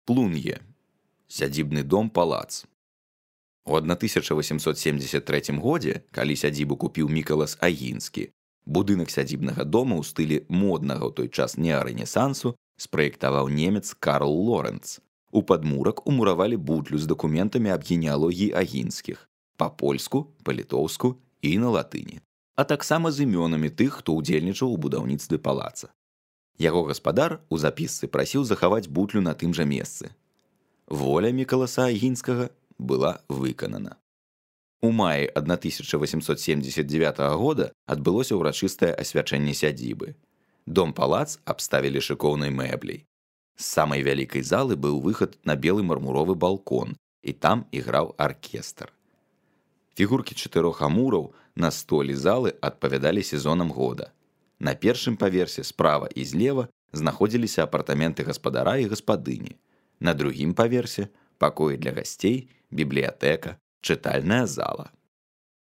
Плун'е. Сядзібны дом-палац. У 1873 годзе, калі сядзібу купіў Мікалас Агінскі, будынак сядзібнага дома ў стылі моднага ў той час неарэнесансу спраектаваў немец Карл Лоренц. У падмурак умуравалі бутлю з дакументамі аб генеалогіі Агінскіх па-польску, па-літоўску і на латыні, а таксама з імёнамі тых, хто ўдзельнічаў у будаўніцтве палаца. Яго гаспадар у запісцы прасіў захаваць бутлю на тым жа месцы. Воля Мікаласа Агінскага была выканана. У маі 1879 года адбылося ўрачыстае асвячэнне сядзібы. Дом-палац абставілі шыкоўнай мэбляй. З самай вялікай залы быў выхад на белы мармуровы балкон, і там іграў аркестр. Фігуркі 4 амураў на столі залы адпавядалі сезонам года. На першым паверсе справа і злева знаходзіліся апартаменты гаспадара і гаспадыні. На другім паверсе пакоі для гасцей, бібліятэка, чытальная зала.